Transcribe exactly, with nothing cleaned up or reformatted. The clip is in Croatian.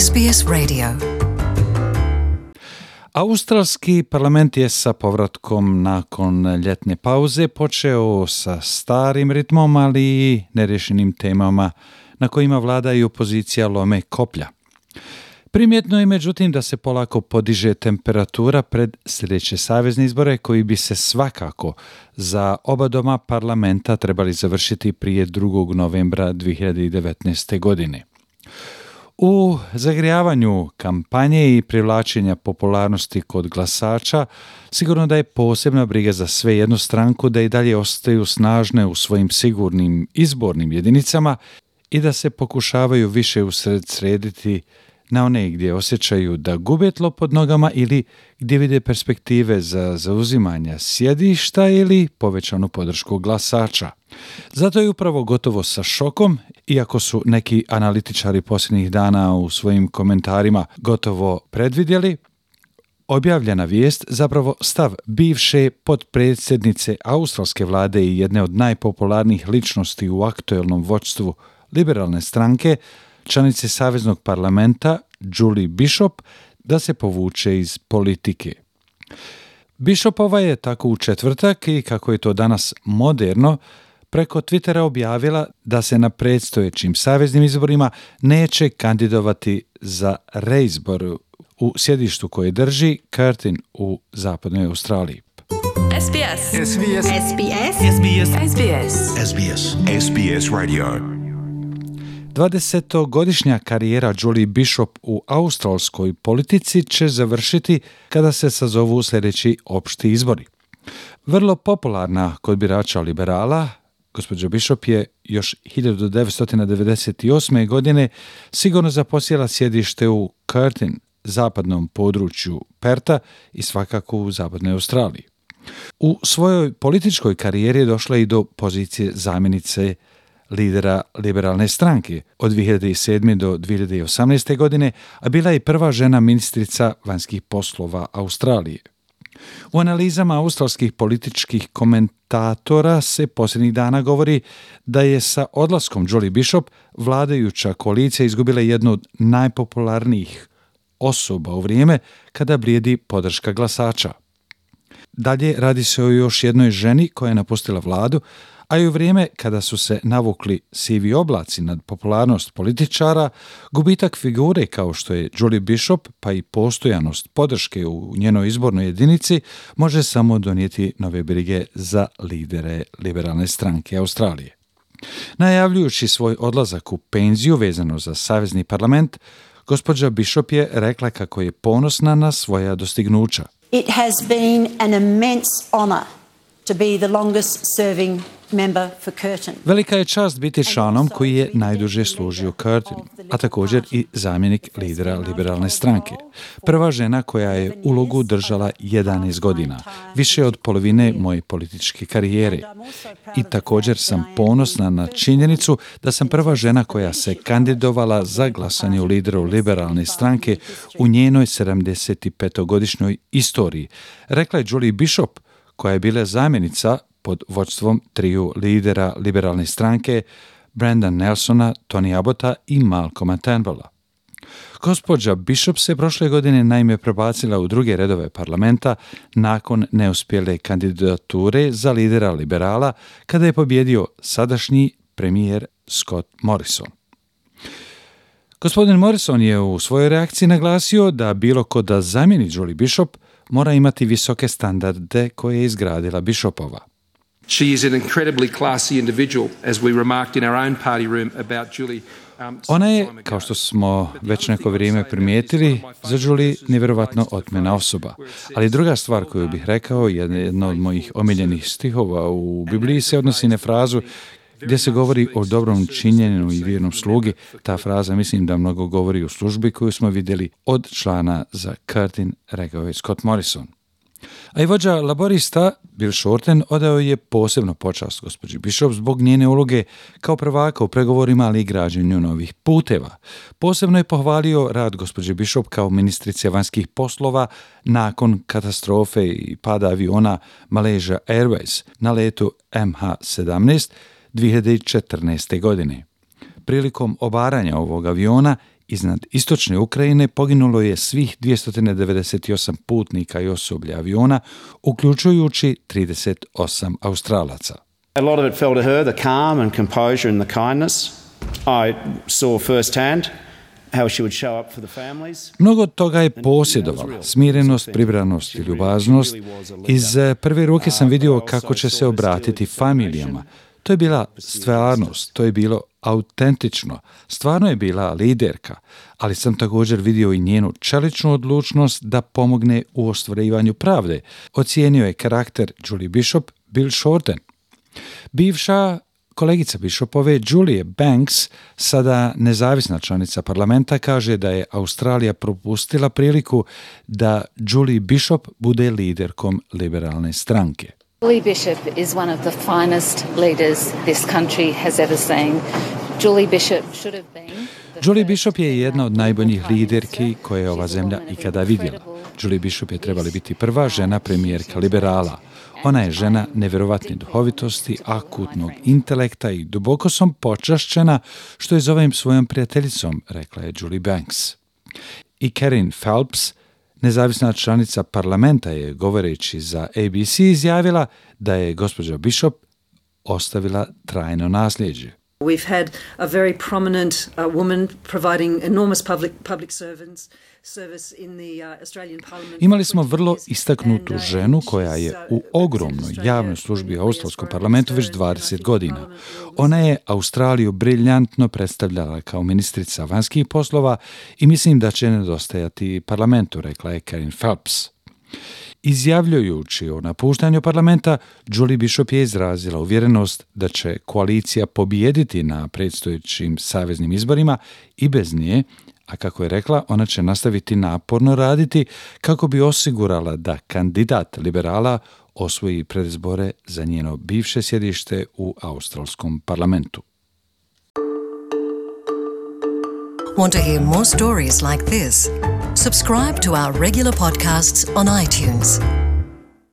S B S Radio. Australski parlament je sa povratkom nakon ljetne pauze počeo sa starim ritmom, ali i nerješenim temama na kojima vlada i opozicija lome koplja. Primjetno je međutim da se polako podiže temperatura pred sljedeće savezne izbore koji bi se svakako za oba doma parlamenta trebali završiti prije drugog novembra dvije hiljade devetnaeste. godine. U zagrijavanju kampanje i privlačenja popularnosti kod glasača sigurno da je posebna briga za sve jednu stranku da i dalje ostaju snažne u svojim sigurnim izbornim jedinicama i da se pokušavaju više usredsrediti na one gdje osjećaju da gube tlo pod nogama ili gdje vide perspektive za zauzimanja sjedišta ili povećanu podršku glasača. Zato je upravo gotovo sa šokom, iako su neki analitičari posljednjih dana u svojim komentarima gotovo predvidjeli, objavljena vijest, zapravo stav bivše potpredsjednice australske vlade i jedne od najpopularnijih ličnosti u aktuelnom vođstvu liberalne stranke, članice Saveznog parlamenta Julie Bishop, da se povuče iz politike. Bishopova je tako u četvrtak i kako je to danas moderno, preko Twittera objavila da se na predstojećim saveznim izborima neće kandidovati za reizbor u sjedištu koje drži Curtin u zapadnoj Australiji. S B S. S B S. S B S. S B S. S B S. S B S. S B S Radio. dvadesetogodišnja karijera Julie Bishop u australskoj politici će završiti kada se sazovu sljedeći opšti izbori. Vrlo popularna kod birača liberala, gospođa Bishop je još hiljadu devetsto devedeset osme. godine sigurno zaposjela sjedište u Curtin, zapadnom području Perta i svakako u zapadnoj Australiji. U svojoj političkoj karijeri je došla i do pozicije zamjenice lidera liberalne stranke od dvije hiljade sedme. do dvije hiljade osamnaeste. godine, a bila je prva žena ministrica vanjskih poslova Australije. U analizama australskih političkih komentatora se posljednjih dana govori da je sa odlaskom Julie Bishop vladajuća koalicija izgubila jednu od najpopularnijih osoba u vrijeme kada blijedi podrška glasača. Dalje radi se o još jednoj ženi koja je napustila vladu, a i u vrijeme kada su se navukli sivi oblaci nad popularnost političara, gubitak figure kao što je Julie Bishop, pa i postojanost podrške u njenoj izbornoj jedinici, može samo donijeti nove brige za lidere liberalne stranke Australije. Najavljujući svoj odlazak u penziju vezano za Savezni parlament, gospođa Bishop je rekla kako je ponosna na svoja dostignuća. It has been an immense honor to be the longest serving member for Curtin. Velika je čast biti članom koji je najduže služio Curtinu, a također i zamjenik lidera liberalne stranke. Prva žena koja je ulogu držala jedanaest godina, više od polovine moje političke karijere. I također sam ponosna na činjenicu da sam prva žena koja se kandidovala za glasanje u lideru liberalne stranke u njenoj sedamdesetpetogodišnjoj istoriji, rekla je Julie Bishop, koja je bila zamjenica pod vođstvom triju lidera liberalne stranke Brendan Nelsona, Tony Abbotta i Malcolma Turnbulla. Gospođa Bishop se prošle godine naime prebacila u druge redove parlamenta nakon neuspjele kandidature za lidera liberala kada je pobjedio sadašnji premijer Scott Morrison. Gospodin Morrison je u svojoj reakciji naglasio da bilo ko da zamijeni Julie Bishop mora imati visoke standarde koje je izgradila Bishopova. She is an incredibly classy individual, as we remarked in our own party room about Julie. Um, Ona je, kao što smo već neko vrijeme primijetili, za Julie nevjerovatno otmena osoba. Ali druga stvar koju bih rekao, jedna od mojih omiljenih stihova u Bibliji se odnosi na frazu gdje se govori o dobrom činjenju i vjernom slugi. Ta fraza mislim da mnogo govori o službi koju smo vidjeli od člana za Curtin, rekao je Scott Morrison. A i vođa laborista Bill Shorten odao je posebno počast gospođi Bishop zbog njene uloge kao prvaka u pregovorima, ali i građenju novih puteva. Posebno je pohvalio rad gospođe Bishop kao ministrice vanjskih poslova nakon katastrofe i pada aviona Malaysia Airways na letu M H sedamnaest dvije hiljade četrnaeste. godine. Prilikom obaranja ovog aviona iznad istočne Ukrajine poginulo je svih dvjesto devedeset osam putnika i osoblja aviona, uključujući trideset osam Australaca. A lot of it fell to her, the calm and composure and the kindness. I saw firsthand how she would show up for the families. Mnogo toga je posjedovala, smirenost, pribranost i ljubaznost. Iz prve ruke sam vidio kako će se obratiti familijama. To je bila stvarnost, to je bilo autentično, stvarno je bila liderka, ali sam također vidio i njenu čeličnu odlučnost da pomogne u ostvarivanju pravde. Ocijenio je karakter Julie Bishop Bill Shorten. Bivša kolegica Bishopove Julie Banks, sada nezavisna članica parlamenta, kaže da je Australija propustila priliku da Julie Bishop bude liderkom liberalne stranke. Julie Bishop is one of the finest leaders this country has ever seen. Julie Bishop should have been Julie Bishop je jedna od najboljih liderki koje je ova zemlja ikada vidjela. Julie Bishop je trebala biti prva žena premijerka liberala. Ona je žena nevjerovatne duhovitosti, akutnog intelekta i duboko sam počašćena što je zovem svojom prijateljicom, rekla je Julie Banks. I Karen Phelps, nezavisna članica parlamenta, je govoreći za A B C izjavila da je gospođa Bishop ostavila trajno nasljeđe. We've had a very prominent uh, woman providing enormous public public servants service in the uh, Australian Parliament. Imali smo vrlo istaknutu ženu koja je u ogromnoj javnoj službi u Australskom parlamentu već dvadeset godina. Ona je Australiju briljantno predstavljala kao ministrica vanjskih poslova i mislim da će nedostajati parlamentu, rekla je Karen Phelps. Izjavljujući o napuštanju parlamenta, Julie Bishop je izrazila uvjerenost da će koalicija pobijediti na predstojećim saveznim izborima i bez nje, a kako je rekla, ona će nastaviti naporno raditi kako bi osigurala da kandidat liberala osvoji predizbore za njeno bivše sjedište u Australskom parlamentu. Want to hear more stories like this? Subscribe to our regular podcasts on iTunes.